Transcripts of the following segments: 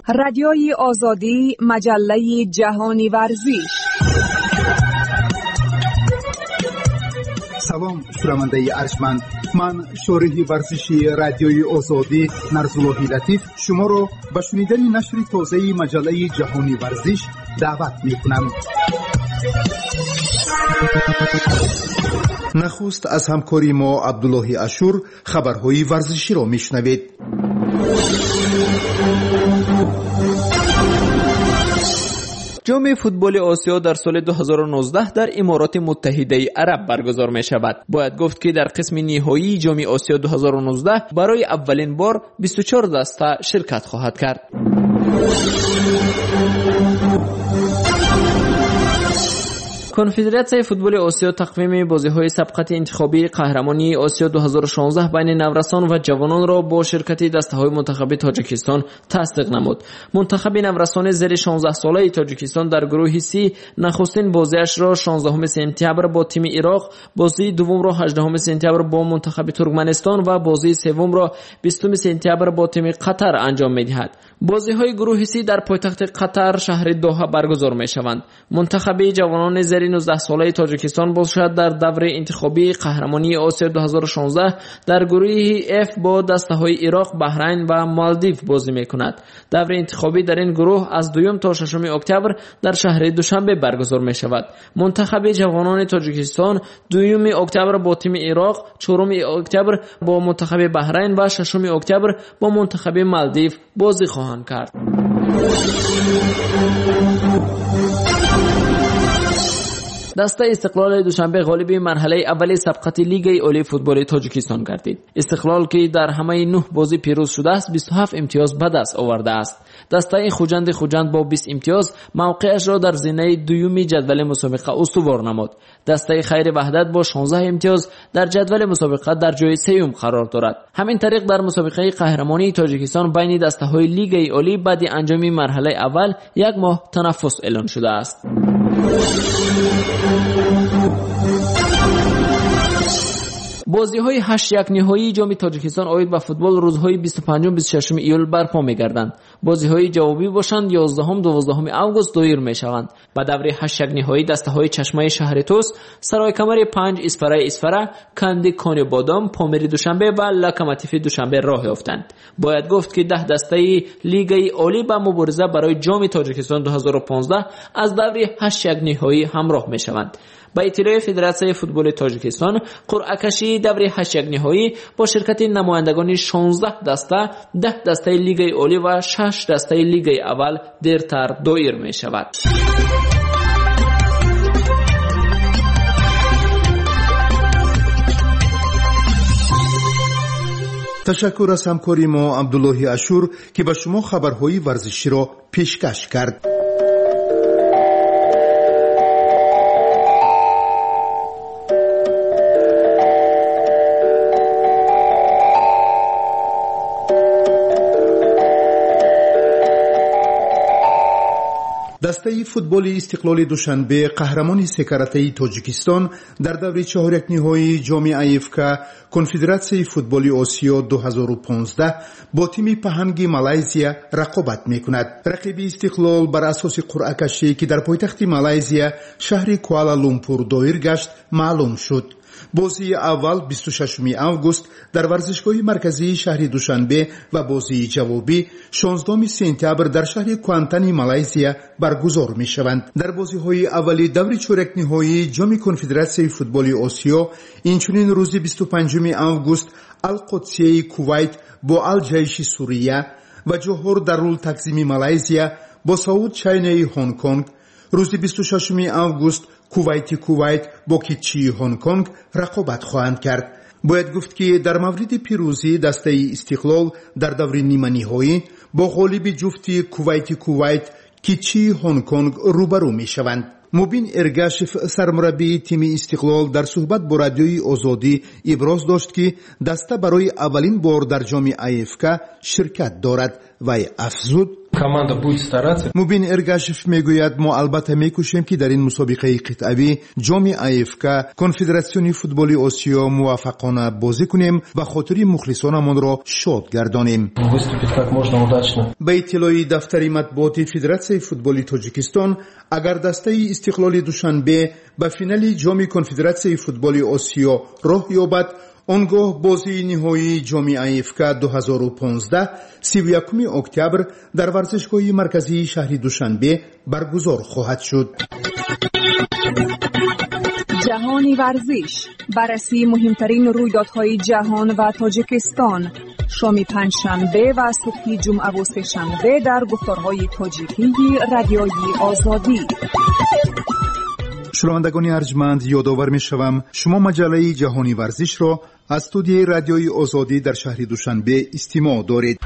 Радиои Озодӣ, маҷаллаи ҷаҳони варзиш. Салом, шунавандаи арҷманд. Ман шориҳи варзиши Радиои Озодӣ Нарзуллоҳи Латиф шуморо ба шунидани нашри тозаи маҷаллаи ҷаҳони варзиш даъват мекунам. Нахуст аз ҳамкори мо Абдуллоҳи Ашур хабарҳои варзиширо мешунавед. Ҷоми футболи Осиё дар соли 2019 дар Имороти Муттаҳидаи Араб баргузор мешавад. Бояд гуфт, ки дар қисми ниҳоии Ҷоми Осиё 2019 барои аввалин бор 24 даста ширкат хоҳад кард. Конфедератсияи футболи Осиё тақвими бозиҳои сабқати интихобии қаҳрамонии Осиё 2016 байни наврасон ва ҷавононро бо ширкати дастаҳои мунтахаби Тоҷикистон тасдиқ намуд. Мунтахаби наврасони зери 16-солаи Тоҷикистон дар гурӯҳи Си нахустин бозиашро 16 сентябр бо тими Ироқ, бозии дуввумро 18 сентябр бо мунтахаби Туркманистон ва бозии севумро 20 сентябр бо тими Қатар анҷом медиҳад. Бозиҳои гурӯҳи Си дар пойтахти Қатар, шаҳри Доҳа баргузор мешаванд. Мунтахаби ҷавонони зери 19-солаи Тоҷикистон бошад дар даври интихобии қаҳрамонии Осиё 2016 дар гурӯҳи Ф бо дастаҳои Ироқ, Баҳрайн ва Малдив бозӣ мекунад. Даври интихобӣ дар ин гурӯҳ аз 2 то 6 октябр дар шаҳри Душанбе баргузор мешавад. Мунтахаби ҷавонони Тоҷикистон 2 октябр бо тими Ироқ, 4 октябр бо мунтахаби Баҳрайн ва 6 октябр бо мунтахаби Малдив бозӣ хоҳанд кард. Дастаи Истиқлоли Душанбе ғолиби марҳалаи аввали сабқати Лигаи олии футболи Тоҷикистон гардид. Истиқлол, ки дар ҳамаи 9 бозӣ пирӯз шудааст, 27 имтиёз ба даст овардааст. Дастаи Хуҷанди Хуҷанд бо 20 имтиёз мавқеашро дар зинаи дуюми ҷадвали мусобиқа устувор намуд. Дастаи Хайри Ваҳдат бо 16 имтиёз дар ҷадвали мусобиқа дар ҷои сеюм қарор дорад. Ҳамин тариқ дар мусобиқаи қаҳрамонии Тоҷикистон байни дастаҳои Лигаи олӣ баъди анҷоми марҳалаи аввал як моҳ танаффус эълон шудааст. Бозиҳои 8-1 ниҳоии Ҷоми Тоҷикистон оид ба футбол рӯзҳои 25-26 июл барпо мегарданд. Бозиҳои ҷавобӣ бошанд 11-12 август доир мешаванд. Ба даври 8-1 ниҳоӣ дастаҳои Чашмаи шаҳри Тӯс, Саройкамари 5, Исфараи Исфара, Канди Кони Бодом, Помири Душанбе ва Локомотиви Душанбе роҳ ёфтанд. Бояд гуфт, ки 10 дастаи Лигаи олӣ ба мубориза барои Ҷоми Тоҷикистон 2015 аз даври 8-1 ниҳоӣ ҳамроҳ мешаванд. Ба иттилои Федератсияи футболи Тоҷикистон, қуръакашии даври 8-1 ниҳоӣ бо ширкати намояндагони 16 даста, 10 дастаи Лигаи олӣ ва 6 дастаи Лигаи аввал дертар доир мешавад. Ташаккур аз ҳамкори мо Абдуллоҳи Ашур, ки ба шумо хабарҳои варзиширо пешкаш кард. Дастаи футболи Истиқлоли Душанбе, қаҳрамони секаратаи Тоҷикистон, дар даври чаҳорякниҳоии Ҷоми АФК Конфедератсияи футболи Осиё 2015 бо тими Паҳанги Малайзия рақобат мекунад. Рақиби Истиқлол бар асоси қуръакашӣ, ки дар пойтахти Малайзия, шаҳри Куала Лумпур доир гашт, маълум шуд. Бозии аввал 26 август дар варзишгоҳи марказии шаҳри Душанбе ва бозии ҷавобӣ 16 сентябр дар шаҳри Куантани Малайзия баргузор мешаванд. Дар бозиҳои аввали даври чорякниҳоии Ҷоми Конфедератсияи футболи Осиё инчунин рӯзи 25 август Алқодсияи Кувайт бо Алҷайши Сурия ва Ҷоҳор Дарул Такзими Малайзия бо Сауд Чайнаи Ҳонконг, рӯзи 26 август Кувайти Кувайт бо Китчии Ҳонконг рақобат хоҳанд кард. Бояд гуфт, ки дар мавриди пирӯзӣ дастаи Истиқлол дар даври ниманиҳоӣ бо ғолиби ҷуфти Кувайти Кувайт Китчии Ҳонконг рӯбарӯ мешаванд. Мубин Эргашев, сармураббии тими Истиқлол, дар суҳбат бо Радиои Озодӣ иброз дошт, ки даста барои аввалин бор дар ҷоми АФК ширкат дорад. Вай афзуд: Команда будет стараться. Мубин Эргашев мегӯяд, мо албатта мекӯшем, ки дар ин мусобиқаи қитъавӣ ҷоми АФК Конфедератсиони футболи Осиё муваффақона бозӣ кунем ва хотири мухлисонамонро шод гардонем. Выступить как можно удачно. Ба иттилои дафтари матбуоти Федератсияи футболи Тоҷикистон, агар дастаи Истиқлоли Душанбе ба финали ҷоми Конфедератсияи футболи Осиё роҳ ёбад, он гоҳ бозии ниҳоии ҷоми АФК 2015 31 октябр дар варзишгоҳи марказии шаҳри Душанбе баргузор хоҳад шуд. Ҷаҳони варзиш, баррасии муҳимтарин рӯйдодҳои ҷаҳон ва Тоҷикистон, шоми панҷшанбе ва субҳи ҷумъаву сешанбе дар гуфторҳои тоҷикии Радиои Озодӣ. Шунавандагони арҷманд, ёдовар мешавам, шумо маҷаллаи Ҷаҳони варзишро аз студияи Радиои Озодӣ дар шаҳри Душанбе истимоъ доред.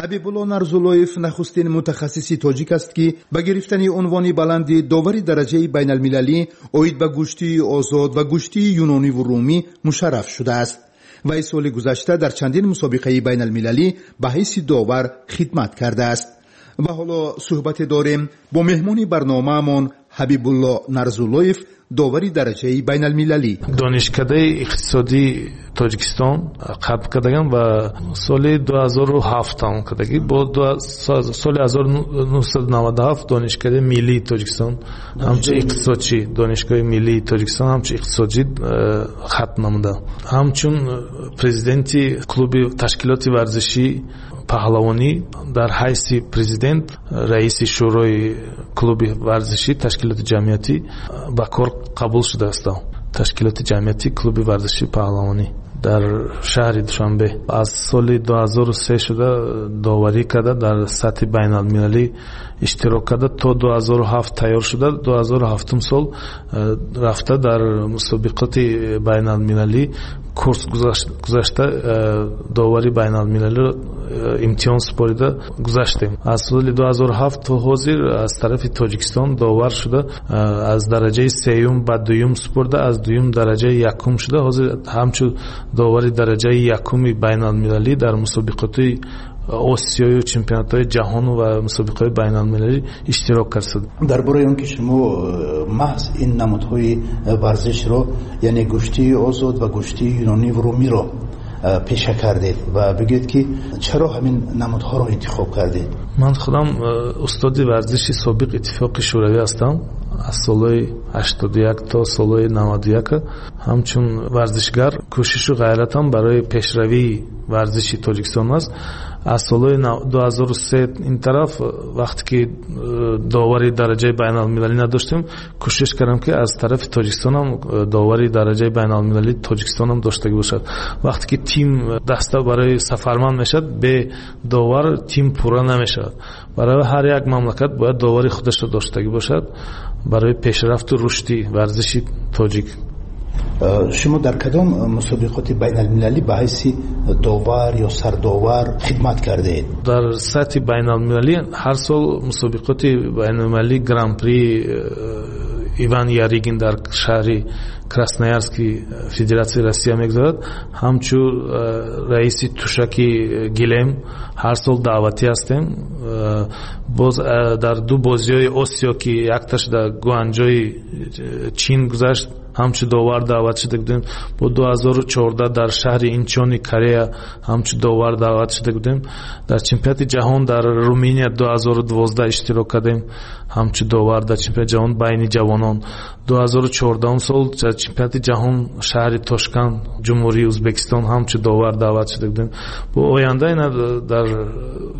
Ҳабибулло Нарзуллоев нахустин мутахассиси тоҷик аст, ки ба гирифтани унвони баланди довари дараҷаи байналмилалӣ оид ба гӯштии озод ва гӯштии юнониву румӣ мушарраф шудааст. Вай соли гузашта дар чандин мусобиқаи байналмилалӣ ба ҳайси довар хидмат кардааст. Ва ҳоло суҳбате дорем бо меҳмони барномаамон Ҳабибулло Нарзуллоев, довари дараҷаи байналмилалӣ. Донишкадаи иқтисодии Тоҷикистон қабул кардагам ва соли 2007 тамом кардагӣ. Бо соли 1997 Донишкадаи миллии Тоҷикистон ҳамчун иқтисодчӣ, Донишгоҳи миллии Тоҷикистон ҳамчун иқтисодчӣ хатм намудам. Ҳамчун президенти клуби ташкилоти варзишӣ паҳлавонӣ дар ҳайси президент, раиси шӯрои клуби варзишӣ ташкилоти ҷамъиятӣ ба кор қабул шудаастам. Ташкилоти ҷамъиятӣ клуби варзиши паҳлавонӣ дар шаҳри Душанбе аз соли 2003 шуда доварӣ карда, дар сатҳи байналмилалӣ иштирок карда, то 2007 тайёр шуда, 2007 сол рафта дар мусобиқоти байналмилалӣ курс гузашта, довари байналмилалиро имтиҳон супорида гузаштем. Аз соли 2007 то ҳозир аз тарафи Тоҷикистон довар шуда, аз дараҷаи сеюм ба дуюм супурда, аз дуюм дараҷаи якум шуда, ҳозир ҳамчун довари дараҷаи якуми байналмилалӣ дар мусобиқоти Осиёю чемпионатҳои ҷаҳону ва мусобиқаҳои байналмилалӣ иштирок кард. Дар бораи он ки шумо маҳз ин намудҳои варзишро, яъне гӯштии озод ва гӯштии юнониву румиро пеша кардед ва бигӯед, ки чаро ҳамин намудҳоро интихоб кардед? Ман худам устоди варзиши собиқ Иттифоқи Шӯравӣ ҳастам. Аз солҳои 81 то солҳои 91 ҳамчун варзишгар кӯшишу ғайратам барои пешравии варзиши Тоҷикистон аст. Аз солҳои 2003 ин тараф, вақте ки довари дараҷаи байналмилалӣ надоштем, кӯшиш кардам, ки аз тарафи Тоҷикистонам довари дараҷаи байналмилалӣ Тоҷикистонам доштагӣ бошад. Вақте ки тим, даста барои сафарманд мешавад, бе довар тим пурра намешавад. Барои ҳар як мамлакат бояд довари худашро доштагӣ бошад барои пешрафту рушди варзиши тоҷик. Шумо дар кадом мусобиқоти байналмилалӣ ба ҳайси довар ё сардовар хидмат кардаед? Дар сатҳи байналмилалӣ ҳар сол мусобиқоти байналмилалӣ Гран-при Иван Ярыгин дар шаҳри Красноярски Федератсияи Россия мегузарад. Ҳамчун раиси тушаки гилем ҳар сол даъватӣ ҳастем. Боз дар ду бозиҳои Осиё, ки якташ дар Гуанҷои Чин гузашт, ҳамчун довар даъват шуда будем. Бо 2014 дар шаҳри Инчони Корея ҳамчун довар даъват шуда будем. Дар чемпионати ҷаҳон дар Руминия 2012 иштирок кардем ҳамчун довар дар чемпионати ҷаҳон байни ҷавонон. 2014 сол дар чемпионати ҷаҳон шаҳри Тошканд, Ҷумҳурии Ӯзбекистон ҳамчун довар даъват шуда будем. Бо оянда ина дар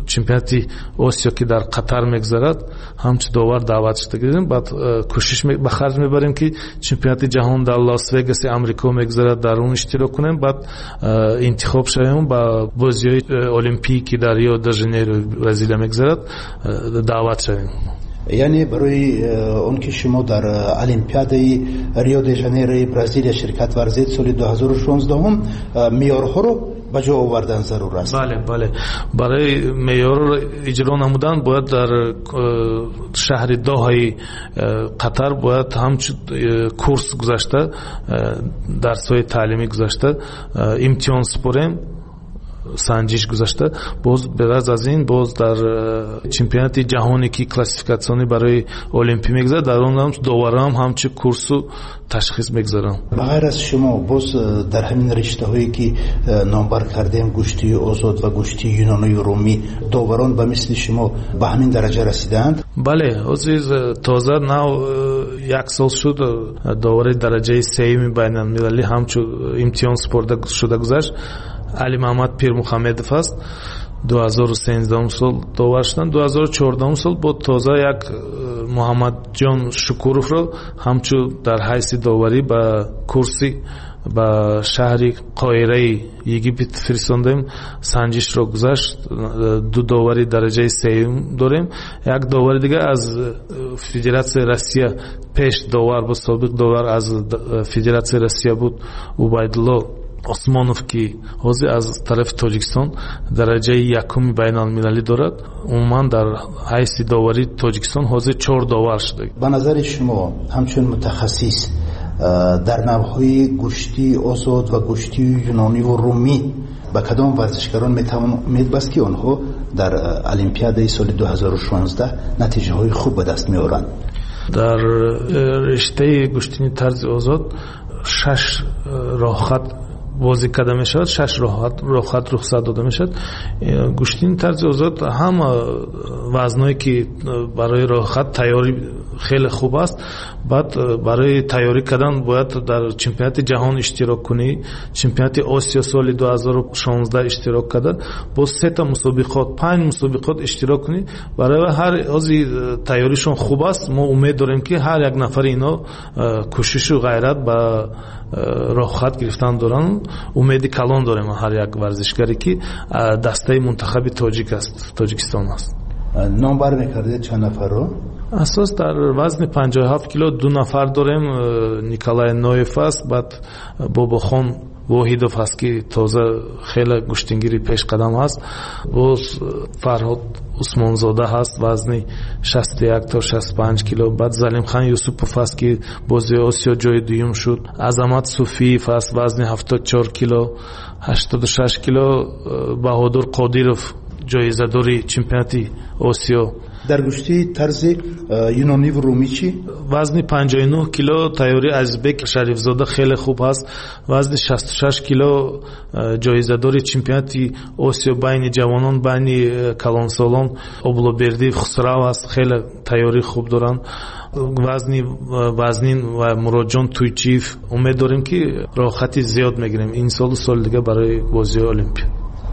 чемпионати Осиё, ки дар Қатар мегузарад, ҳамчун довар даъват шуда будем. Баъд кӯшиш ба харҷ мебарем, ки чемпионати ҷаҳон дар Лас Вегаси Амрико мегузарад, дар он иштирок кунем, баъд интихоб шавем, ба бозиҳои олимпӣ, ки дар Рио де Жанейро Бразилия мегузарад, даъват шавем. Яъне барои он ки шумо дар Олимпиадаи Рио де Жанейрои Бразилия ширкат варзед соли 2016, меъёрҳоро ба ҷо овардан зарур аст. Бале, барои меъёрро иҷро намудан бояд дар шаҳри Доҳаи Қатар бояд ҳамчун курс гузашта, дарсҳои таълимӣ гузашта, имтиҳон супорем. Санҷиш гузашта, боз беғараз аз ин боз дар чемпионати ҷаҳоне ки классификатсионӣ барои олимпӣ мегузарад, дар он ҳам доварам ҳамчун курсу ташхис мегузаранд. Ба ғайр аз шумо боз дар ҳамин риштаҳое ки номбар кардем, гӯштии озод ва гӯштии юнонию румӣ, доварон ба мисли шумо ба ҳамин дараҷа расидаанд? Бале, ҳозир тоза нав як сол шуд довари дараҷаи сеюми байналмилалӣ ҳамчун имтиҳон супорда шуда гузашт. Алимаҳмад Пирмуҳаммедов аст. 2013 сол довар шуданд. 2014 сол бо тоза як Муҳаммадҷон Шукуровро ҳамчун дар ҳайси доварӣ ба курси ба шаҳри Қоҳираи Египет фиристондем. Санҷишро гузашт. Ду довари дараҷаи сеюм дорем. Як довари дигар аз Федератсияи Россия пеш довар буд, собиқ довар аз Федератсияи Россия буд, Убайдулло Осмонов, ки ҳозир аз тарафи Тоҷикистон дараҷаи якуми байналмилалӣ дорад. Умуман дар ҳайси доварии Тоҷикистон ҳозир 4 довар шуда. Ба назари шумо ҳамчун мутахассис дар навъҳои гӯштии озод ва гӯштии юнониву румӣ ба кадом варзишгарон метавон умед баст, ки онҳо дар Олимпиадаи соли 2016 натиҷаҳои хуб ба даст меоранд? Дар риштаи гӯштини тарзи озод 6 роҳхат бозӣ карда мешавад, 6 роҳхат рухсат дода мешавад. Гӯштини тарзи озод ҳама вазное ки барои роҳхат тайёрӣ хеле хуб аст. Баъд барои тайёрӣ кардан бояд дар чемпионати ҷаҳон иштирок кунӣ. Чемпионати Осиё соли 2016 иштирок карда, боз 3 мусобиқот, 5 мусобиқот иштирок кунӣ. Барои ҳар ҳозир тайёришон хуб аст. Мо умед дорем, ки ҳар як нафари ино кӯшишу ғайрат ба роҳхат гирифтан доранд. Умеди калон дорем ҳар як варзишгаре ки дастаи мунтахаби тоҷик аст, Тоҷикистон аст. Номбар мекардед чанд нафарро? Асос дар вазни 57 кило 2 нафар дорем. Николай Ноев аст, баъд Бобохон Воҳидов аст, ки тоза хеле гӯштингири пешқадам аст. Боз Фарҳод Усмонзода ҳаст, вазни 61 то 65 кило. Баъд Залимхан Юсупов аст, ки бози Осиё ҷои дуюм шуд. Азамат Суфиев аст, вазни 74 кило, 86 кило Баҳодур Қодиров, ҷоизадори чемпионати Осиё. Дар гӯштии тарзи юнониву румӣ чӣ? Вазни 59 кило тайёри Азизбек Шарифзода хеле хуб аст. Вазни 66 кило ҷоизадори чемпионати Осиё байни ҷавонон, байни калонсолон Облобердиев Хусрав аст, хеле тайёрии хуб доранд. Вазни вазнин ва Муродҷон Туйчиев. Умед дорем, ки роҳхати зиёд мегирем ин солу соли дигар барои бозиҳои Олимпия.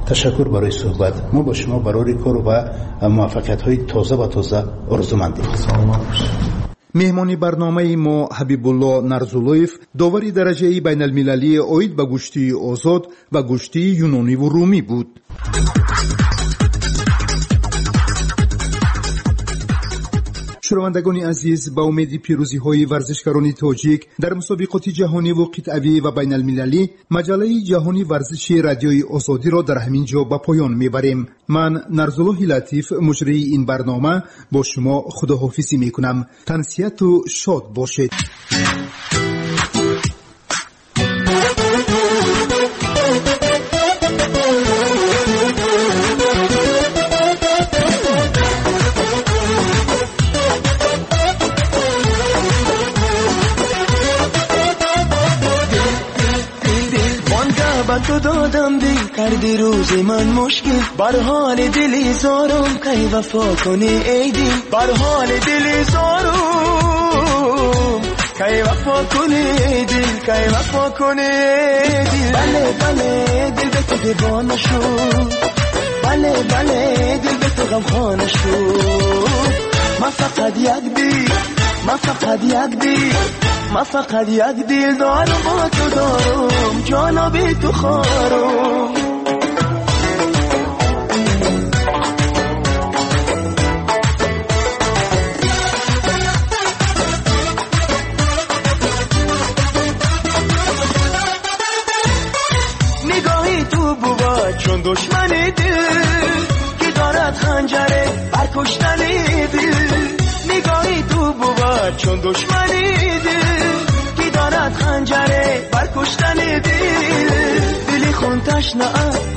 Ташаккур барои суҳбат. Мо бо шумо барори кор ва муваффақиятҳои тоза ба тоза орзумандем. Саломат бошед. Меҳмони барномаи мо Ҳабибулло Нарзуллоев, довари дараҷаи байналмилалии оид ба гӯштии озод ва гӯштии юнониву румӣ буд. Шунавандагони азиз, ба умеди пирӯзиҳои варзишгарони тоҷик дар мусобиқоти ҷаҳониву қитъавӣ ва байналмилалӣ, маҷаллаи ҷаҳони варзиши Радиои Озодиро дар ҳамин ҷо ба поён мебарем. Ман Нарзуллоҳи Латиф, муҷрии ин барнома, бо шумо худоҳофизӣ мекунам. Тансиҳату шод бошед. تو دادم دل کردی روز من مشکل، بر حال دلی زارم کی وفا کنی ای دل، بر حال دلی زارم کی وفا کنی ای دل، کی وفا کنی ای دل. بله بله دل به تو دیوانه شد، بله بله دل به تو غمخانه شد. ما فقط یک دل، ما فقط یک دل، ما فقط یک دل دارم، با تو دارم جانا بی تو خارم. نگاهی تو بود چون دشمن دل که دارد خنجره بر کشتن دل. نگاهی تو بود چون دشمن دل که Дорад ханҷаре бар куштани дил. Дили хун ташна,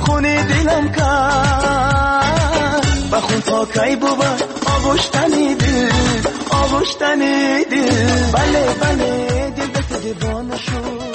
хуни дилам кард. Ба хун то кай бувад оғуштани дил, оғуштани дил. Бале, бале, дил ба ту девона шуд.